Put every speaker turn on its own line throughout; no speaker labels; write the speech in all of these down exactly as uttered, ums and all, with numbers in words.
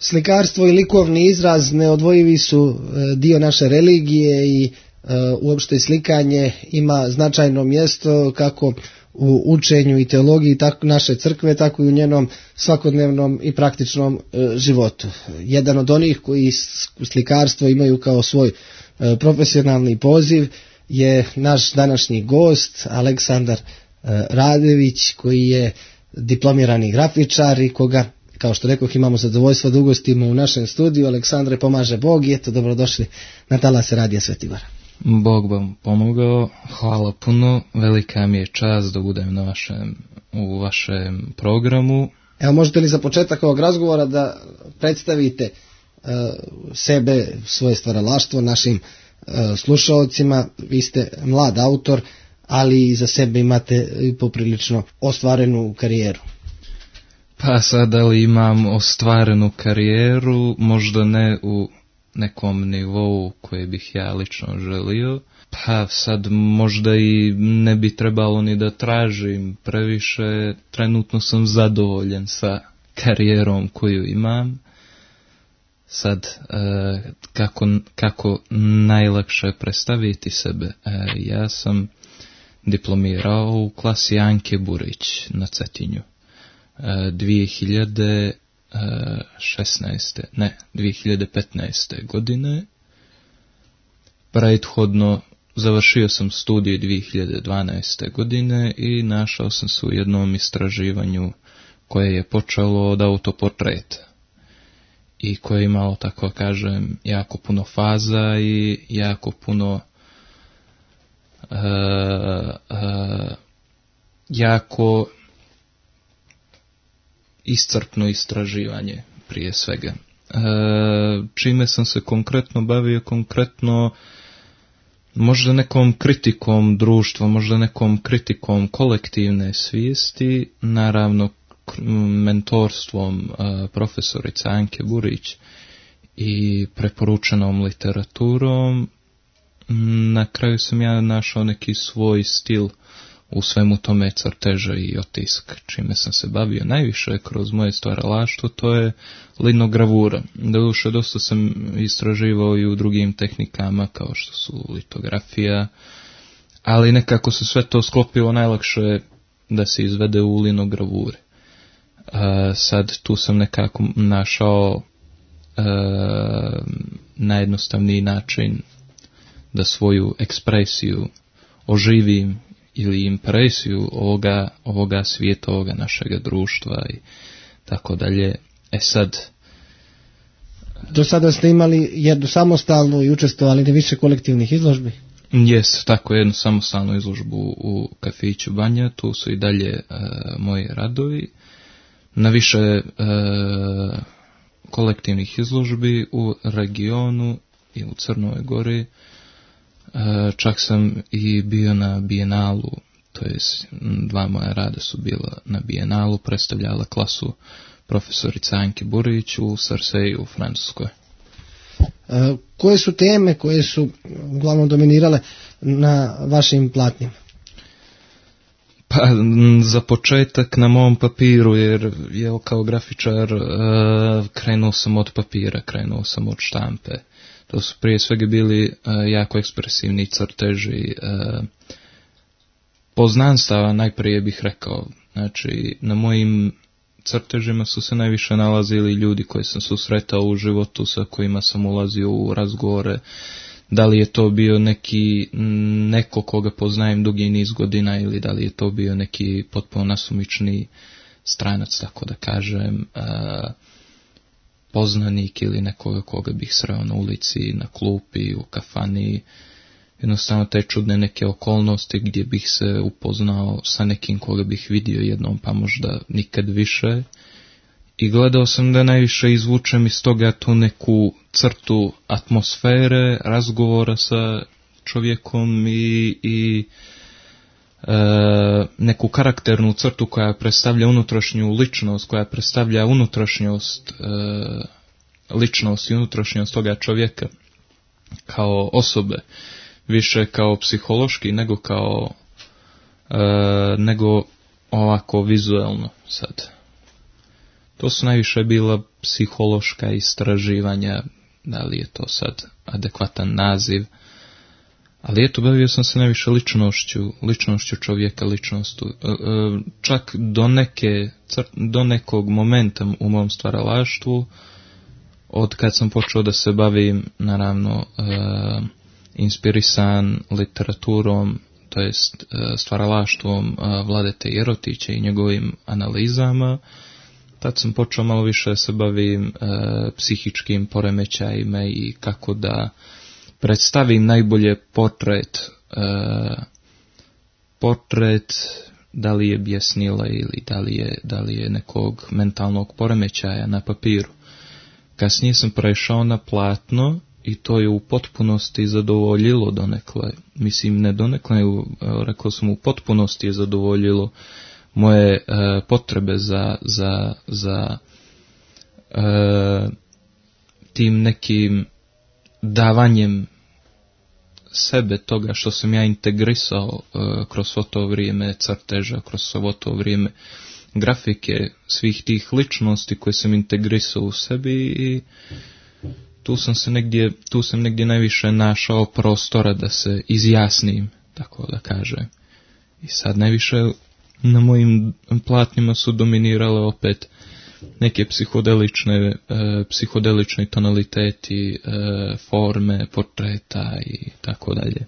Slikarstvo i likovni izraz neodvojivi su dio naše religije i uopšte slikanje ima značajno mjesto kako u učenju i teologiji tako naše crkve, tako i u njenom svakodnevnom i praktičnom životu. Jedan od onih koji slikarstvo imaju kao svoj profesionalni poziv je naš današnji gost Aleksandar Radević, koji je diplomirani grafičar i koga, kao što rekoh, imamo zadovoljstvo da ugostimo u našem studiju. Aleksandre, pomaže Bog i eto, dobrodošli na talase Radija Svetibara.
Bog vam pomogao, hvala puno, velika mi je čast da budem na vašem, u vašem programu.
Evo, možete li za početak ovog razgovora da predstavite uh, sebe, svoje stvaralaštvo našim uh, slušalcima? Vi ste mlad autor, ali i za sebe imate poprilično ostvarenu karijeru.
Pa sad, ali imam ostvarenu karijeru, možda ne u nekom nivou koje bih ja lično želio, pa sad možda i ne bi trebalo ni da tražim previše, trenutno sam zadovoljan sa karijerom koju imam. Sad, e, kako, kako najlakše predstaviti sebe, e, ja sam diplomirao u klasi Anke Burić na Cetinju e, dvije hiljade šesnaeste ne, dvije hiljade petnaeste godine. Prethodno završio sam studij dvije hiljade dvanaeste godine i našao sam se u jednom istraživanju koje je počelo od autoportreta i koje je imalo, tako kažem, jako puno faza i jako puno uh, uh, jako iscrpno istraživanje prije svega. E, čime sam se konkretno bavio, konkretno možda nekom kritikom društva, možda nekom kritikom kolektivne svijesti, naravno mentorstvom e, profesorice Anke Burić i preporučenom literaturom. Na kraju sam ja našao neki svoj stil u svemu tome crteža i otiska, čime sam se bavio najviše kroz moje stvaralaštvo, to je linogravura. Doduše, dosta sam istraživao i u drugim tehnikama kao što su litografija, ali nekako se sve to sklopilo najlakše da se izvede u linogravuri. E, sad tu sam nekako našao e, najjednostavniji način da svoju ekspresiju oživim ili impresiju ovoga, ovoga svijeta, ovoga našega društva i tako dalje. E sad...
Do sada ste imali jednu samostalnu i učestvovali na više kolektivnih izložbi?
Jes, tako, jednu samostalnu izložbu u kafiću Banja, tu su i dalje e, moji radovi. Na više e, kolektivnih izložbi u regionu i u Crnoj Gori. Čak sam i bio na Bijenalu, to je dva moja rada su bila na Bijenalu, predstavljala klasu profesorica Anke Burić u Sarseju u Francuskoj.
E, koje su teme koje su uglavnom dominirale na vašim platnima?
Pa za početak na mom papiru, jer je kao grafičar uh, krenuo sam od papira, krenuo sam od štampe. To su prije svega bili uh, jako ekspresivni crteži uh, poznanstava, najprije bih rekao. Znači, na mojim crtežima su se najviše nalazili ljudi koji sam susretao u životu, sa kojima sam ulazio u razgovore. Da li je to bio neki, neko koga poznajem dugi niz godina ili da li je to bio neki potpuno nasumični stranac, tako da kažem, uh, poznanik ili nekoga koga bih sreo na ulici, na klupi, u kafani, jednostavno te čudne neke okolnosti gdje bih se upoznao sa nekim koga bih vidio jednom pa možda nikad više. I gledao sam da najviše izvučem iz toga tu neku crtu atmosfere, razgovora sa čovjekom i, i e, neku karakternu crtu koja predstavlja unutrašnju ličnost, koja predstavlja unutrašnjost, e, ličnost i unutrašnjost toga čovjeka kao osobe, više kao psihološki nego kao e, nego ovako vizualno sad. to su najviše bila psihološka istraživanja, da li je to sad adekvatan naziv, ali eto, bavio sam se najviše ličnošću, ličnošću čovjeka, ličnostu. Čak do neke, do nekog momenta u mom stvaralaštvu, od kad sam počeo da se bavim, naravno, inspirisan literaturom, to jest stvaralaštvom Vladete Jerotića i njegovim analizama, tad sam počeo malo više da se bavim psihičkim poremećajima i kako da predstavim najbolje portret, uh, portret da li je bjesnila ili da li je, da li je nekog mentalnog poremećaja na papiru. Kasnije sam prešao na platno i to je u potpunosti zadovoljilo donekle, mislim ne donekle, rekao sam u potpunosti je zadovoljilo moje uh, potrebe za, za, za uh, tim nekim davanjem sebe toga što sam ja integrisao uh, kroz svo to vrijeme crteža, kroz svo to vrijeme grafike, svih tih ličnosti koje sam integrisao u sebi i tu sam se negdje, tu sam negdje najviše našao prostora da se izjasnim, tako da kažem. I sad najviše na mojim platnima su dominirale opet neke psihodelične, e, psihodelični tonaliteti, e, forme, portreta i tako dalje.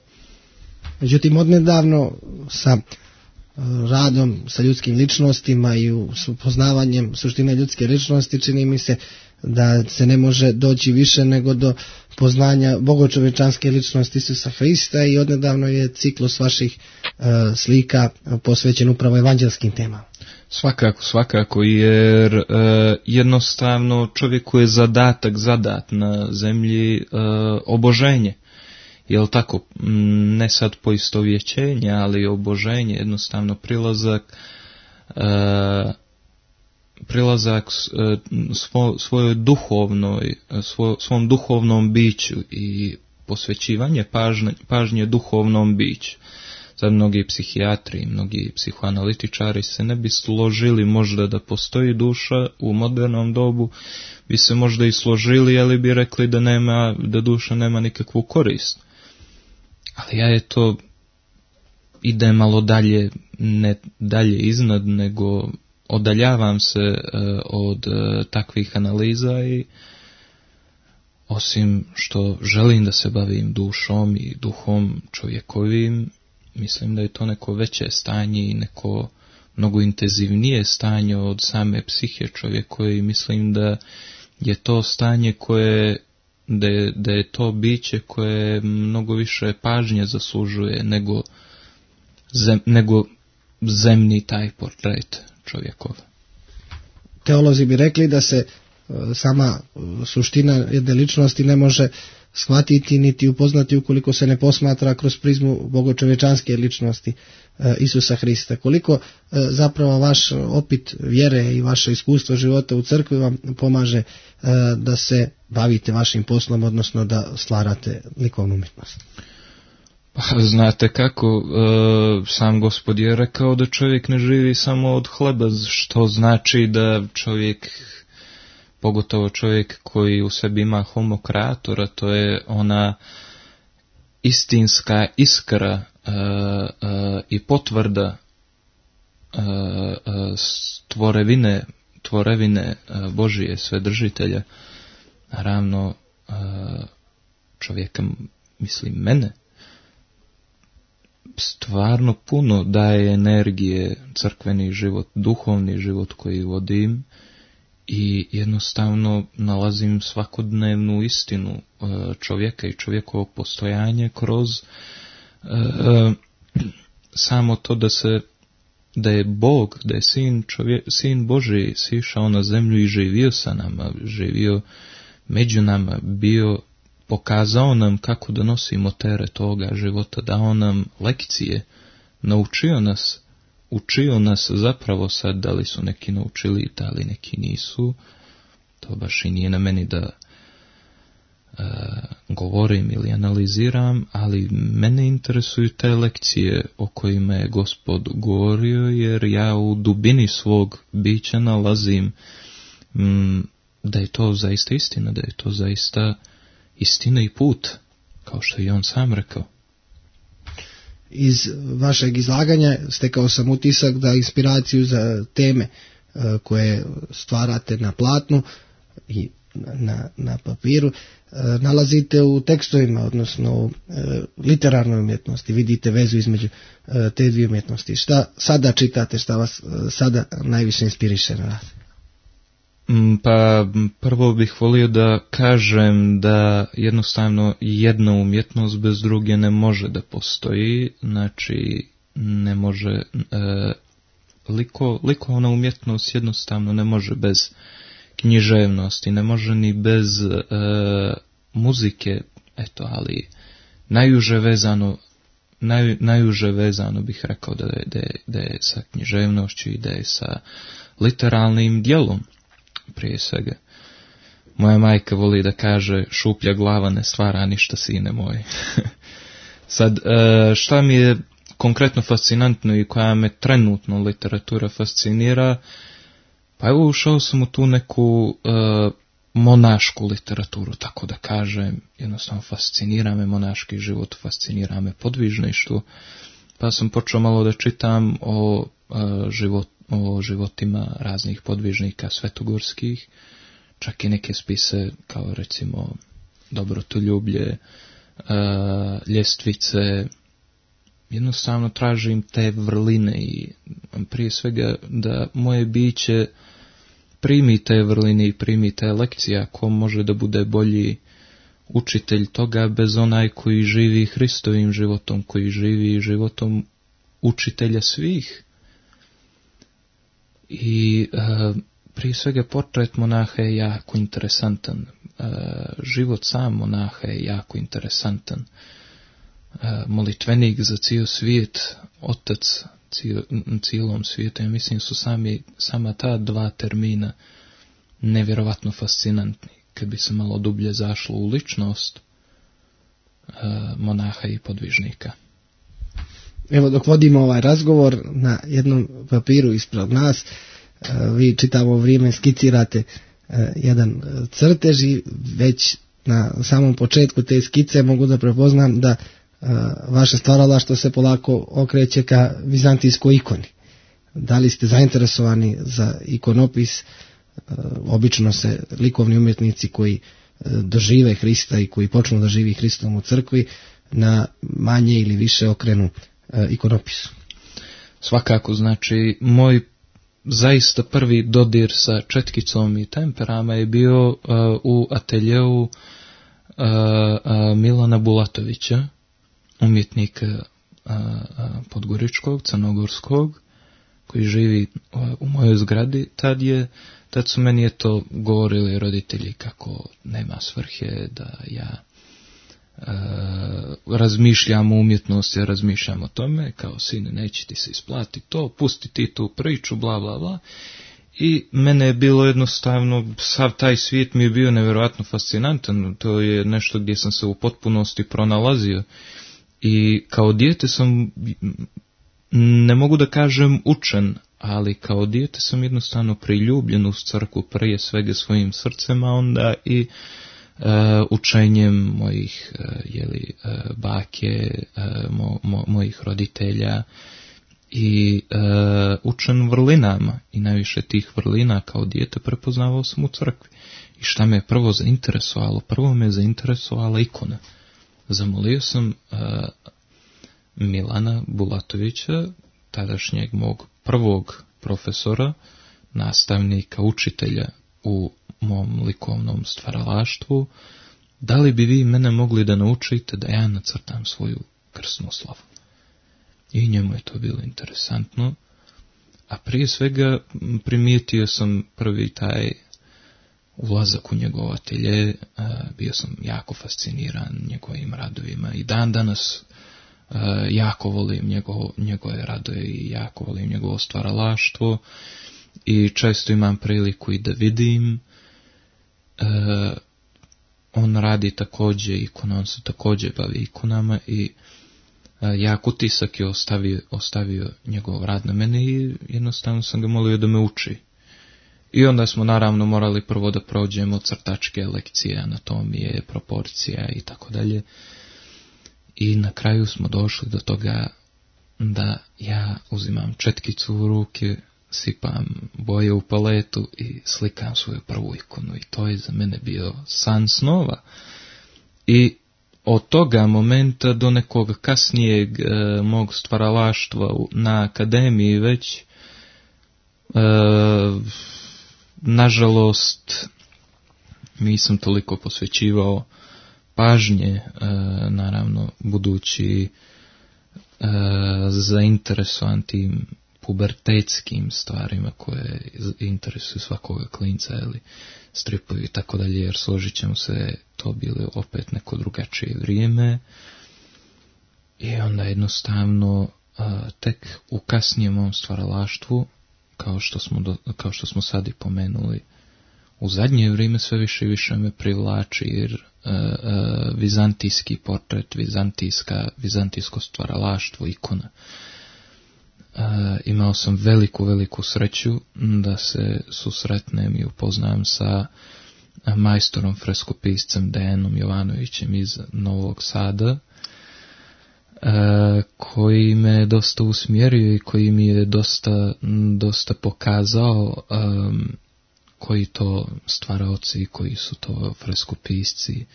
Međutim, odnedavno sa radom sa ljudskim ličnostima i poznavanjem suštine ljudske ličnosti čini mi se da se ne može doći više nego do poznanja bogočovečanske ličnosti Isusa Hrista i odnedavno je ciklus vaših e, slika posvećen upravo evanđelskim temama.
Svakako, svakako, jer e, jednostavno čovjeku je zadatak zadat na zemlji e, oboženje. Jel tako, ne sad poistovjećenje, ali oboženje, jednostavno prilazak e, prilazak e, svo, svojoj duhovnoj, svo, svom duhovnom biću i posvećivanje pažnje, pažnje duhovnom biću. Sad mnogi psihijatri i mnogi psihoanalitičari se ne bi složili možda da postoji duša u modernom dobu, bi se možda i složili, ali bi rekli da nema, da duša nema nikakvu korist. Ali ja je to ide malo dalje, ne dalje iznad, nego odaljavam se uh, od uh, takvih analiza i osim što želim da se bavim dušom i duhom čovjekovim, mislim da je to neko veće stanje i neko mnogo intenzivnije stanje od same psihe čovjekove i mislim da je to stanje koje, da je, da je to biće koje mnogo više pažnje zaslužuje nego, zem, nego zemni taj portret čovjekov.
Teolozi bi rekli da se sama suština jedne ličnosti ne može shvatiti niti upoznati ukoliko se ne posmatra kroz prizmu bogočovečanske ličnosti Isusa Hrista. Koliko zapravo vaš opit vjere i vaše iskustvo života u crkvi vam pomaže da se bavite vašim poslom, odnosno da stvarate likovnu umjetnost?
Pa znate kako, sam Gospod je rekao da čovjek ne živi samo od hleba, što znači da čovjek, pogotovo čovjek koji u sebi ima homo creatora, to je ona istinska iskra uh, uh, i potvrda uh, uh, tvorevine, tvorevine uh, Božije Svedržitelja. Naravno, uh, čovjeka, mislim mene, stvarno puno daje energije crkveni život, duhovni život koji vodim, i jednostavno nalazim svakodnevnu istinu čovjeka i čovjekovog postojanja kroz uh, samo to da se da je Bog, da je sin, čovjek, sin Božji sišao na zemlju i živio sa nama, živio među nama, bio, pokazao nam kako da nosimo teret toga života, dao nam lekcije, naučio nas, učio nas zapravo sad, da li su neki naučili, da li neki nisu, to baš i nije na meni da uh, govorim ili analiziram, ali mene interesuju te lekcije o kojima je Gospod govorio, jer ja u dubini svog bića nalazim m, da je to zaista istina, da je to zaista istina i put, kao što je on sam rekao.
Iz vašeg izlaganja stekao sam utisak da inspiraciju za teme koje stvarate na platnu i na, na papiru nalazite u tekstovima, odnosno u literarnoj umjetnosti. Vidite vezu između te dvije umjetnosti. Šta sada čitate, šta vas sada najviše inspiriše na rad?
Pa prvo bih volio da kažem da jednostavno jedna umjetnost bez druge ne može da postoji, znači ne može, e, liko, likovna umjetnost jednostavno ne može bez književnosti, ne može ni bez e, muzike, eto, ali najuže vezano, naj, najuže vezano bih rekao da je, da, je, da je sa književnošću i da je sa literalnim djelom. Prije svega. Moja majka voli da kaže šuplja glava ne stvara ništa, sine moj. Sad, šta mi je konkretno fascinantno i koja me trenutno literatura fascinira, pa evo ušao sam u tu neku uh, monašku literaturu, tako da kažem, jednostavno fascinira me monaški život, fascinira me podvižništvo, pa sam počeo malo da čitam o uh, životu, o životima raznih podvižnika svetogorskih, čak i neke spise kao recimo Dobrotoljublje, ljestvice. Jednostavno tražim te vrline i prije svega da moje biće primi te vrline i primi te lekcije, ako može da bude bolji učitelj toga bez onaj koji živi Hristovim životom, koji živi životom učitelja svih. I uh, prije svega portret monaha je jako interesantan, uh, život sam monaha je jako interesantan, uh, molitvenik za cijel svijet, otac cijel, cijelom svijetu, ja mislim su sami, sama ta dva termina nevjerovatno fascinantni, kad bi se malo dublje zašlo u ličnost uh, monaha i podvižnika.
Evo, dok vodimo ovaj razgovor, na jednom papiru ispred nas, vi čitavo vrijeme skicirate jedan crtež i već na samom početku te skice mogu da prepoznam da vaše stvaralaštvo se polako okreće ka vizantijskoj ikoni. Da li ste zainteresovani za ikonopis? Obično se likovni umjetnici koji dožive Hrista i koji počnu da živi Hristom u crkvi na manje ili više okrenu ikonopisu.
Svakako, znači, moj zaista prvi dodir sa četkicom i temperama je bio uh, u ateljeu uh, uh, Milana Bulatovića, umjetnika uh, uh, podgoričkog, crnogorskog, koji živi uh, u mojoj zgradi. Tad je, tad su meni eto govorili roditelji kako nema svrhe da ja Uh, razmišljam o umjetnosti, ja razmišljam o tome, kao sine, neće ti se isplati to, pusti ti tu priču, bla bla bla. I mene je bilo jednostavno, sav taj svijet mi je bio nevjerojatno fascinantan, to je nešto gdje sam se u potpunosti pronalazio. I kao dijete sam, ne mogu da kažem učen, ali kao dijete sam jednostavno priljubljen uz crkvu, prije svega svojim srcem, a onda i Uh, učenjem mojih uh, jeli, uh, bake, uh, mo, mo, mojih roditelja i uh, učen vrlinama i najviše tih vrlina kao dijete prepoznavao sam u crkvi. I šta me je prvo zainteresovalo? Prvo me je zainteresovala ikona. Zamolio sam uh, Milana Bulatovića, tadašnjeg mog prvog profesora, nastavnika, učitelja u mom likovnom stvaralaštvu, da li bi vi mene mogli da naučite da ja nacrtam svoju krsnu slavu. I njemu je to bilo interesantno, a prije svega primijetio sam prvi taj ulazak u njegov atelje, bio sam jako fasciniran njegovim radovima i dan danas jako volim njegov, njegove radove i jako volim njegovo stvaralaštvo i često imam priliku i da vidim. Uh, on radi također ikona, on se također bavi ikonama i uh, jak utisak je ostavio, ostavio njegov rad na mene i jednostavno sam ga molio da me uči. I onda smo naravno morali prvo da prođemo crtačke lekcije, anatomije, proporcija i tako dalje. I na kraju smo došli do toga da ja uzimam četkicu u ruke, sipam boje u paletu i slikam svoju prvu ikonu. I to je za mene bio san snova. I od toga momenta do nekog kasnijeg e, mog stvaralaštva na akademiji već, e, nažalost, nisam toliko posvećivao pažnje, e, naravno, budući e, zainteresovan tim pubertetskim stvarima koje interesuju svakoga klinca, ili stripovi i tako dalje, jer složit ćemo se, to bilo opet neko drugačije vrijeme. I onda jednostavno a, tek u kasnijem mom stvaralaštvu, kao što smo, do, kao što smo sad i pomenuli, u zadnje vrijeme sve više i više me privlači, jer a, a, vizantijski portret, vizantijska, vizantijsko stvaralaštvo, ikona. Uh, imao sam veliku, veliku sreću da se susretnem i upoznam sa majstorom freskopiscem Dejanom Jovanovićem iz Novog Sada, uh, koji me dosta usmjerio i koji mi je dosta, dosta pokazao um, koji to stvaraoci, koji su to freskopisci,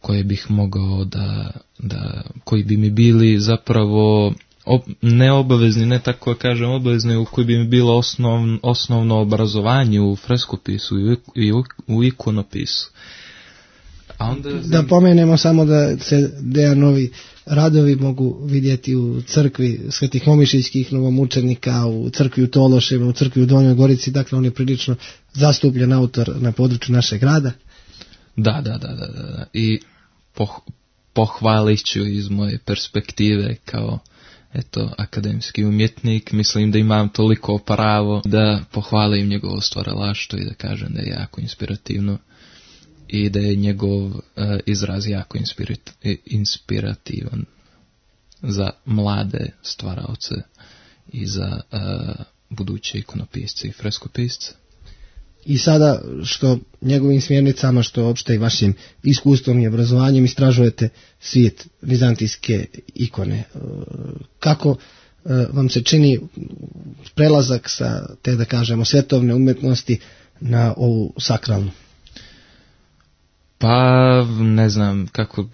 koje bih mogao da, da koji bi mi bili zapravo Ob, ne obavezni, ne tako kažem obavezni, u koji bi mi bilo osnov, osnovno obrazovanje u freskopisu i u, i u, u ikonopisu. A onda...
Da pomenemo samo da se Dejanovi radovi mogu vidjeti u crkvi Svetih Momišićkih novomučenika, u crkvi u Tološevima, u crkvi u Donjoj Gorici, dakle on je prilično zastupljen autor na području našeg grada.
Da, da, da, da, da. I poh, pohvalit ću iz moje perspektive kao eto, akademski umjetnik, mislim da imam toliko pravo da pohvalim njegovo stvaralaštvo i da kažem da je jako inspirativno i da je njegov uh, izraz jako inspirat, inspirativan za mlade stvaraoce i za uh, buduće ikonopisce i freskopisce.
I sada što njegovim smjernicama, što opšte i vašim iskustvom i obrazovanjem istražujete svijet vizantijske ikone. Kako vam se čini prelazak sa te, da kažemo, svjetovne umjetnosti na ovu sakralnu?
Pa ne znam kako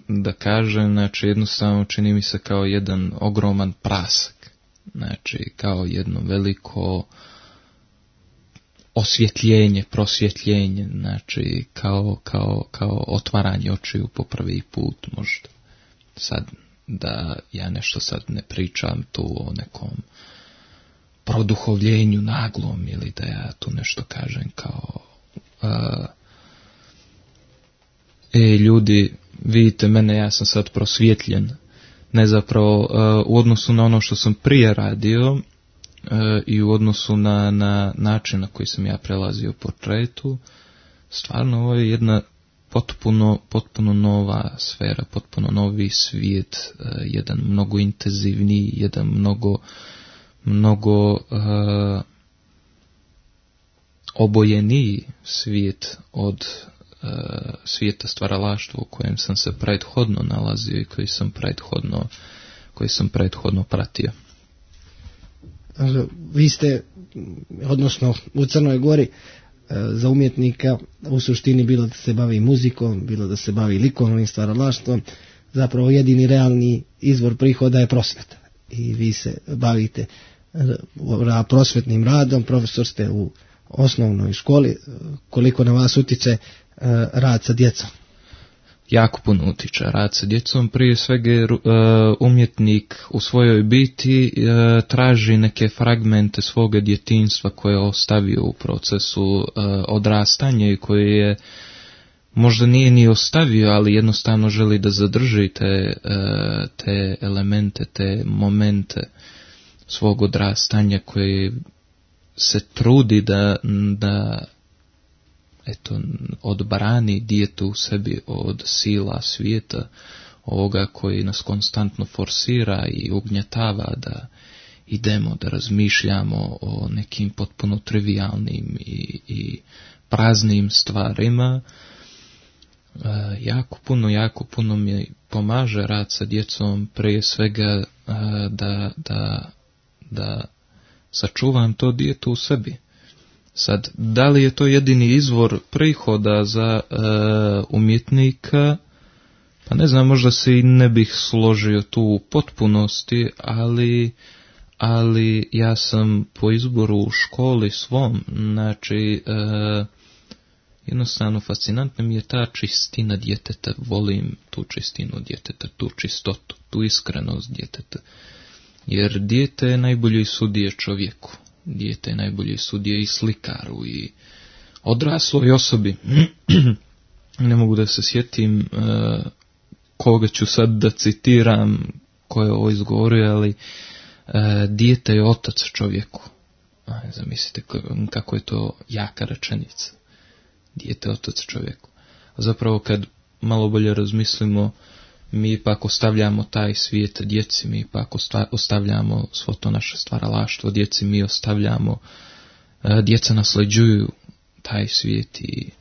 da kažem, znači jednostavno čini mi se kao jedan ogroman prasak, znači kao jedno veliko osvjetljenje, prosvjetljenje, znači kao, kao, kao otvaranje očiju po prvi put možda. Sad da ja nešto sad ne pričam tu o nekom produhovljenju naglom ili da ja tu nešto kažem kao uh, e ljudi, vidite mene, ja sam sad prosvjetljen. Ne zapravo uh, u odnosu na ono što sam prije radio uh, i u odnosu na, na način na koji sam ja prelazio portretu, stvarno ovo je jedna potpuno, potpuno nova sfera, potpuno novi svijet, uh, jedan mnogo intenzivniji, jedan mnogo, mnogo uh, obojeniji svijet od uh, svijeta stvaralaštva u kojem sam se prethodno nalazio i koji sam prethodno, koji sam prethodno pratio.
Vi ste, odnosno u Crnoj Gori, za umjetnika u suštini bilo da se bavi muzikom, bilo da se bavi likovnim stvaralaštvom, zapravo jedini realni izvor prihoda je prosveta. I vi se bavite prosvetnim radom, profesor ste u osnovnoj školi. Koliko na vas utiče rad sa djecom?
Jako puno utiče rad sa djecom. Prije svega uh, umjetnik u svojoj biti uh, traži neke fragmente svoga djetinjstva koje je ostavio u procesu uh, odrastanja i koje je možda nije ni ostavio, ali jednostavno želi da zadrži te, uh, te elemente, te momente svog odrastanja koje se trudi da, da eto, odbrani dijete u sebi od sila svijeta, ovoga koji nas konstantno forsira i ugnjetava da idemo da razmišljamo o nekim potpuno trivialnim i, i praznim stvarima. E, jako puno, jako puno mi pomaže rad sa djecom, prije svega e, da, da, da sačuvam to dijete u sebi. Sad, da li je to jedini izvor prihoda za e, umjetnika? Pa ne znam, možda se i ne bih složio tu u potpunosti, ali, ali ja sam po izboru u školi svom, znači, e, jednostavno fascinantna mi je ta čistina djeteta, volim tu čistinu djeteta, tu čistotu, tu iskrenost djeteta, jer dijete je najbolji sudije čovjeku, dijete je najbolji sudije i slikaru i odrasloj osobi. Ne mogu da se sjetim e, koga ću sad da citiram, ko je ovo izgovorio, ali e, dijete je otac čovjeku. Aj, zamislite kako je to jaka rečenica. Dijete je otac čovjeku. A zapravo kad malo bolje razmislimo, mi ipak ostavljamo taj svijet djeci, mi ipak ostavljamo svo to naše stvaralaštvo djeci, mi ostavljamo, e, djeca nasljeđuju taj svijet i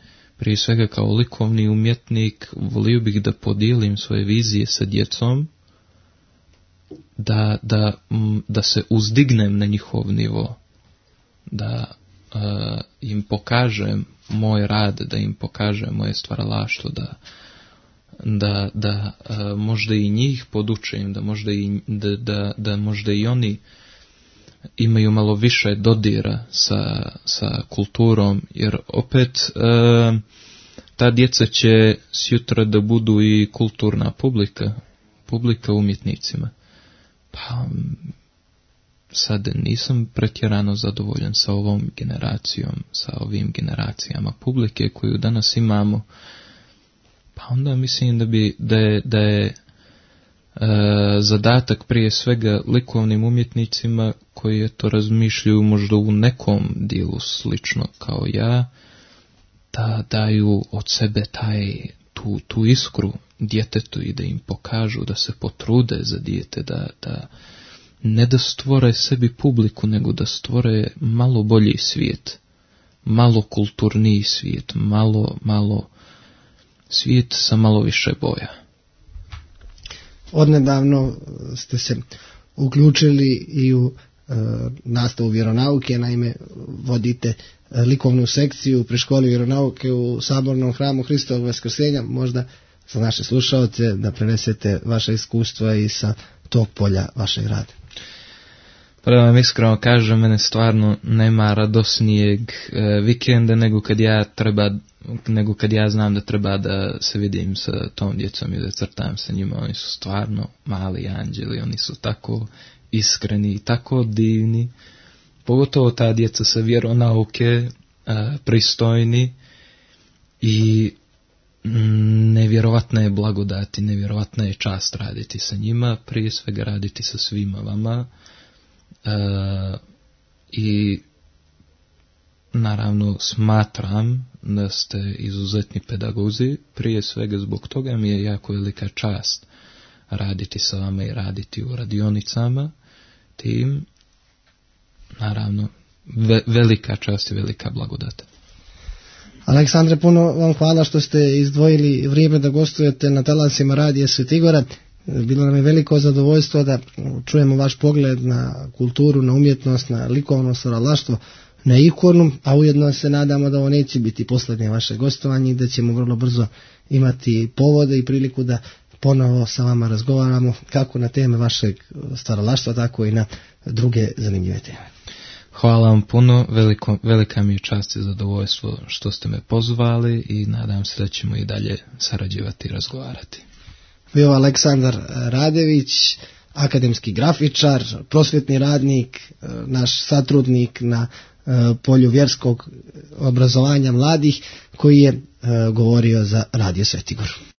prije svega kao likovni umjetnik volio bih da podijelim svoje vizije sa djecom, da, da, da se uzdignem na njihov nivo, da uh, im pokažem moj rad, da im pokažem moje stvaralaštvo, da, da, da uh, možda i njih podučim, da možda i, da, da, da možda i oni imaju malo više dodira sa, sa kulturom, jer opet e, ta djeca će sjutra da budu i kulturna publika, publika umjetnicima. Pa sad nisam pretjerano zadovoljan sa ovom generacijom, sa ovim generacijama publike koju danas imamo, pa onda mislim da bi da je, da je E, zadatak prije svega likovnim umjetnicima koji to razmišljaju možda u nekom dijelu slično kao ja, da daju od sebe taj, tu, tu iskru djetetu i da im pokažu, da se potrude za dijete, da, da ne da stvore sebi publiku, nego da stvore malo bolji svijet, malo kulturniji svijet, malo, malo svijet sa malo više boja.
Odnedavno ste se uključili i u e, nastavu vjeronauke, naime vodite e, likovnu sekciju pri školi vjeronauke u Sabornom hramu Hristovog Vaskrsenja, možda za naše slušalce da prenesete vaše iskustva i sa tog polja vašeg rada.
Pa da vam iskreno kažem, mene stvarno nema radosnijeg e, vikenda nego kad ja treba nego kad ja znam da treba da se vidim sa tom djecom i da crtam sa njima. Oni su stvarno mali anđeli, oni su tako iskreni i tako divni, pogotovo ta djeca sa vjeronauke, a, pristojni i mm, nevjerovatna je blagodat i nevjerovatna je čast raditi sa njima, prije svega raditi sa svima vama a, i naravno smatram da ste izuzetni pedagozi, prije svega zbog toga mi je jako velika čast raditi sa vama i raditi u radionicama, tim naravno ve, velika čast i velika blagodat.
Aleksandre, puno vam hvala što ste izdvojili vrijeme da gostujete na talasima Radija Svetigora. Bilo nam je veliko zadovoljstvo da čujemo vaš pogled na kulturu, na umjetnost, na likovno stvaralaštvo, na ikonu, a ujedno se nadamo da ovo neće biti posljednje vaše gostovanje i da ćemo vrlo brzo imati povode i priliku da ponovo sa vama razgovaramo kako na teme vašeg stvaralaštva, tako i na druge zanimljive teme.
Hvala vam puno, veliko, velika mi je čast i zadovoljstvo što ste me pozvali i nadam se da ćemo i dalje sarađivati i razgovarati.
Bio Aleksandar Radević, akademski grafičar, prosvjetni radnik, naš satrudnik na polju vjerskog obrazovanja mladih, koji je govorio za Radio Svetigor.